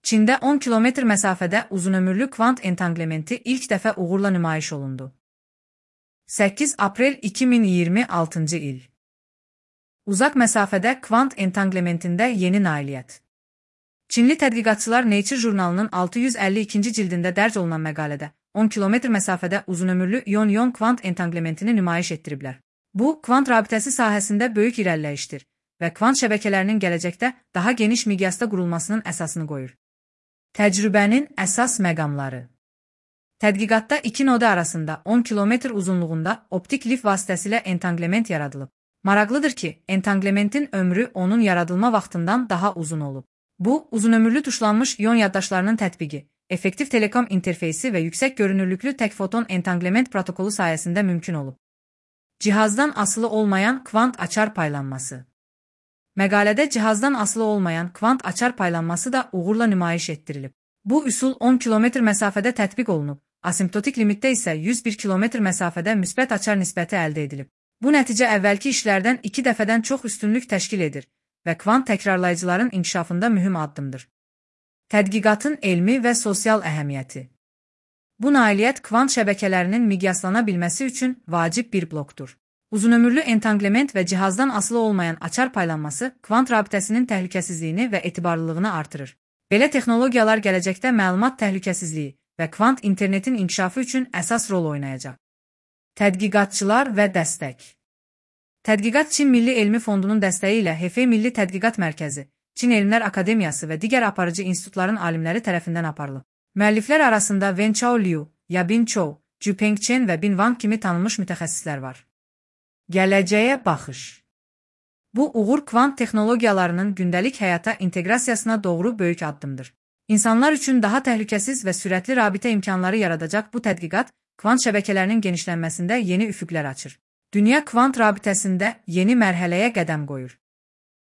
Çində 10 kilometr məsafədə uzunömürlü kvant entanglementi ilk dəfə uğurla nümayiş olundu. 8 aprel 2026 il. Uzaq məsafədə kvant entanglementində yeni nailiyyət. Çinli tədqiqatçılar Nature jurnalının 652-ci cildində dərc olunan məqalədə 10 kilometr məsafədə uzunömürlü ion-ion kvant entanglementini nümayiş etdiriblər. Bu, kvant rabitəsi sahəsində böyük irəliləyişdir və kvant şəbəkələrinin gələcəkdə daha geniş miqyasda qurulmasının əsasını qoyur. Təcrübənin əsas məqamları. Tədqiqatda iki noda arasında 10 kilometr uzunluğunda optik lif vasitəsilə entanglement yaradılıb. Maraqlıdır ki, entanglementin ömrü onun yaradılma vaxtından daha uzun olub. Bu, uzunömürlü tuşlanmış ion yaddaşlarının tətbiqi, effektiv telekom interfeysi və yüksək görünürlüklü tək foton entanglement protokolu sayəsində mümkün olub. Cihazdan asılı olmayan kvant açar paylanması. Məqalədə cihazdan asılı olmayan kvant açar paylanması da uğurla nümayiş etdirilib. Bu üsul 10 kilometr məsafədə tətbiq olunub, asimptotik limitdə isə 101 kilometr məsafədə müsbət açar nisbəti əldə edilib. Bu nəticə əvvəlki işlərdən 2 dəfədən çox üstünlük təşkil edir və kvant təkrarlayıcıların inkişafında mühüm addımdır. Tədqiqatın elmi və sosial əhəmiyyəti. Bu nailiyyət kvant şəbəkələrinin miqyaslana bilməsi üçün vacib bir blokdur. Uzunömürlü entanglement və cihazdan asılı olmayan açar paylanması kvant rabitəsinin təhlükəsizliyini və etibarlılığını artırır. Belə texnologiyalar gələcəkdə məlumat təhlükəsizliyi və kvant internetin inkişafı üçün əsas rol oynayacaq. Tədqiqatçılar və dəstək. Tədqiqat Çin Milli Elmi Fondunun dəstəyi ilə Hefei Milli Tədqiqat Mərkəzi, Çin Elmlər Akademiyası və digər aparıcı institutların alimləri tərəfindən aparılıb. Müəlliflər arasında Wen Chao Liu, Yabin Chou, Jupeng Chen və Bin Wang kimi tanınmış mütəxəssislər var. Gələcəyə baxış. Bu, uğur kvant texnologiyalarının gündəlik həyata inteqrasiyasına doğru böyük addımdır. İnsanlar üçün daha təhlükəsiz və sürətli rabitə imkanları yaradacaq bu tədqiqat, kvant şəbəkələrinin genişlənməsində yeni üfüqlər açır. Dünya kvant rabitəsində yeni mərhələyə qədəm qoyur.